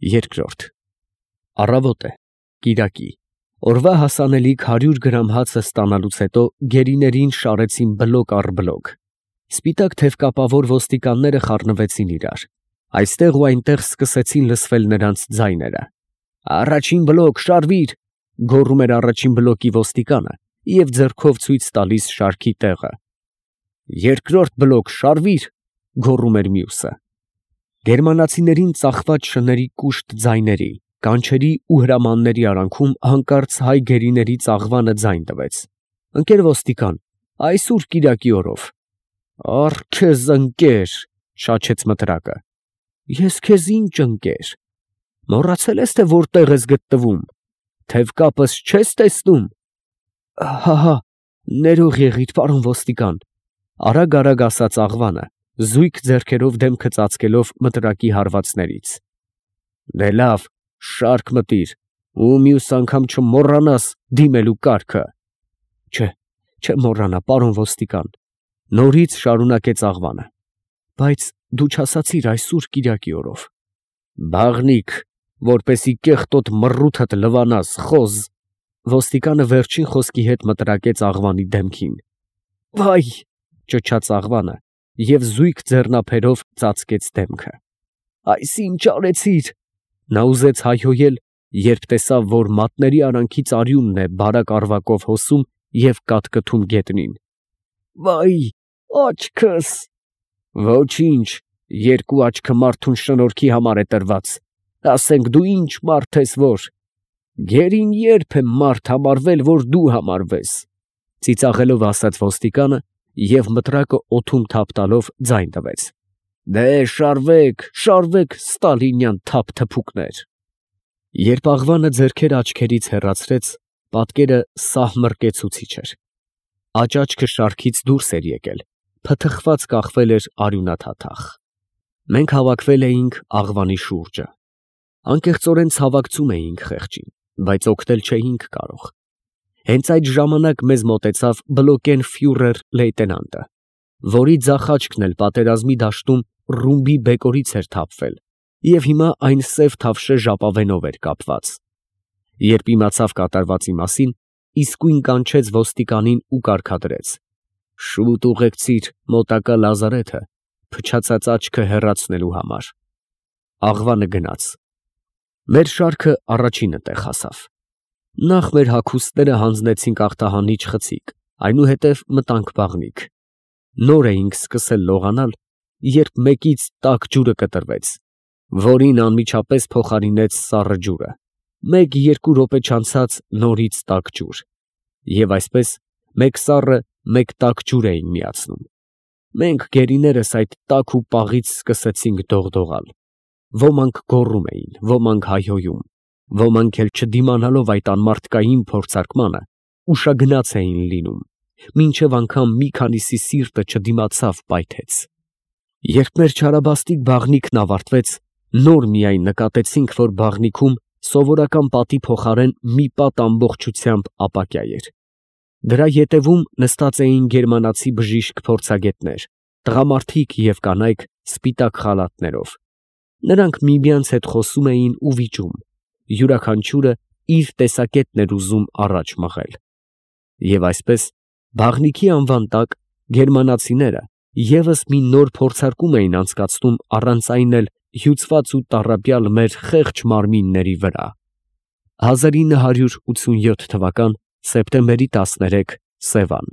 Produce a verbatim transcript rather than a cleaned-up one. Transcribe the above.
Երկրորդ Առավոտ է, կիրակի, օրվա հասանելիք հարյուր գրամ հացը ստանալուց հետո գերիներին շարեցին բլոկ առ բլոկ. սպիտակ թևկապավոր ոստիկանները խառնվեցին իրար, այստեղ ու այնտեղ սկսեցին լսվել նրանց ձայները. «Առաջին բլոկ, շարվիր», գոռում էր առաջին բլոկի ոստիկանը և ձեռքով ցույց տալիս շարքի տեղը. «Երկրորդ բլոկ, շարվիր», գոռում էր մյուսը։ Գերմանացիներին ծախված շների կուշտ ձայների, կանչերի ու հրամանների արանքում հանկարծ հայ գերիների ծաղվանը ձայն տվեց. «Ընկեր ոստիկան, այսուր կիրակի օրով»։ «Առ քեզ ընկեր», շաչեց մտրակը։ «Ես քեզ ինչ ընկեր։ Մոռացել ես, թե որտեղ ես գտնվում, թևկապս չես տեսնում»։ «Հա, ներող եղիր, պարոն ոստիկան», արագ֊արագ ասաց աղվանը, զույգ ձեռքերով դեմքը ծածկելով մտրակի հարվածներից։ «Դե լավ, շարք մտիր ու մյուս անգամ չմոռանաս դիմելու կարգը»։ «Չէ, չեմ մոռանա, պարոն ոստիկան», նորից շարունակեց աղվանը, «բայց դու չասացիր այսուր կիրակի օրով»։ «Բաղնիք, որպեսզի կեղտոտ մռութդ լվանաս, խոզ», ոստիկանը վերջին խոսքի հետ մտրակեց աղվանի դեմքին։ «Վայ», ճչաց աղվանը և զույգ ձեռնափերով ծածկեց դեմքը։ «Այս ինչ արեցիր»։ Նա ուզեց հայհոյել, երբ տեսավ, որ մատների արանքից արյունն է բարակ առվակով հոսում և կատկթում գետնին։ «Վայ, աչքս»։ «Ոչինչ, երկու աչքը մարդուն շնորհքի համար է տրված, ասենք դու ինչ մարդ ես որ»։ «Գերին ե՞րբ է մարդ համարվել, որ դու համարվես», ծիծաղելով ասաց ոստիկանը և մտրակը օդում թափ տալով ձայն տվեց։ «Դե շարվեք, շարվեք, ստալինյան թափթփուկներ»։ Երբ աղվանը ձեռքերը աչքերից հեռացրեց, պատկերը սահմռկեցուցիչ էր։ Աջ աչքը շարքից դուրս էր եկել, փթխված կախվել էր արյունաթաթախ։ Մենք հավաքվել էինք աղվանի շուրջը։ Անկեղծորեն ցավակցում էինք խեղճին, բայց օգնել չէինք կարող։ Հենց այդ ժամանակ մեզ մոտեցավ բլոկենֆյուրեր լեյտենանտը, որի ձախ աչքն էլ պատերազմի դաշտում ռումբի բեկորից էր թափվել և հիմա այն սև թավշե ժապավենով էր կապված։ Երբ իմացավ կատարվածի մասին, իսկույն կանչեց ոստիկանին ու կարգադրեց. «Շուտ ուղեկցիր մոտակա լազարեթը փչացած աչքը հեռացնելու համար»։ Աղվանը գնաց։ Մեր շարքը առաջինը տեղ հասավ։ Նախ մեր հագուստները հանձնեցինք ախտահանիչ խցիկ, այնուհետև մտանք բաղնիք։ Նոր էինք սկսել լողանալ, երբ մեկից տաք ջուրը կտրվեց, որին անմիջապես փոխարինեց սառը ջուրը։ Մեկ֊երկու րոպե չանցած նորից տաք ջուր։ Եվ այսպես մեկ սառը, մեկ տաք ջուր էին միացնում։ Մենք գերիներս այդ տաք ու պաղից սկսեցինք դողդողալ։ Ոմանք գոռում էին, ոմանք հայհոյում, ոմանք էլ չդիմանալով այդ անմարդկային փորձարկմանը, ուշագնաց էին լինում, մինչև անգամ մի քանիսի սիրտը չդիմացավ, պայթեց։ Երբ մեր չարաբաստիկ բաղնիքն ավարտվեց, նոր միայն նկատեցինք, որ բաղնիքում սովորական պատի փոխարեն մի պատ ամբողջությամբ ապակյա էր։ Դրա ետևում նստած էին գերմանացի բժիշկ փորձագետներ, տղամարդիկ և կանայք սպիտակ խալաթներով։ Նրանք միմյանց հետ խոսում էին ու վիճում, յուրաքանչյուրը իր տեսակետն էր ուզում առաջ մղել։ Եվ այսպես, բաղնիքի անվան տակ, գերմանացիները ևս մի նոր փորձարկում էին անցկացնում առանց այն էլ հյուծված ու տառապյալ մեր խեղճ մարմինների վրա։ հազար ինը հարյուր ութսունյոթ թվական սեպտեմբերի տասներեք Սևան։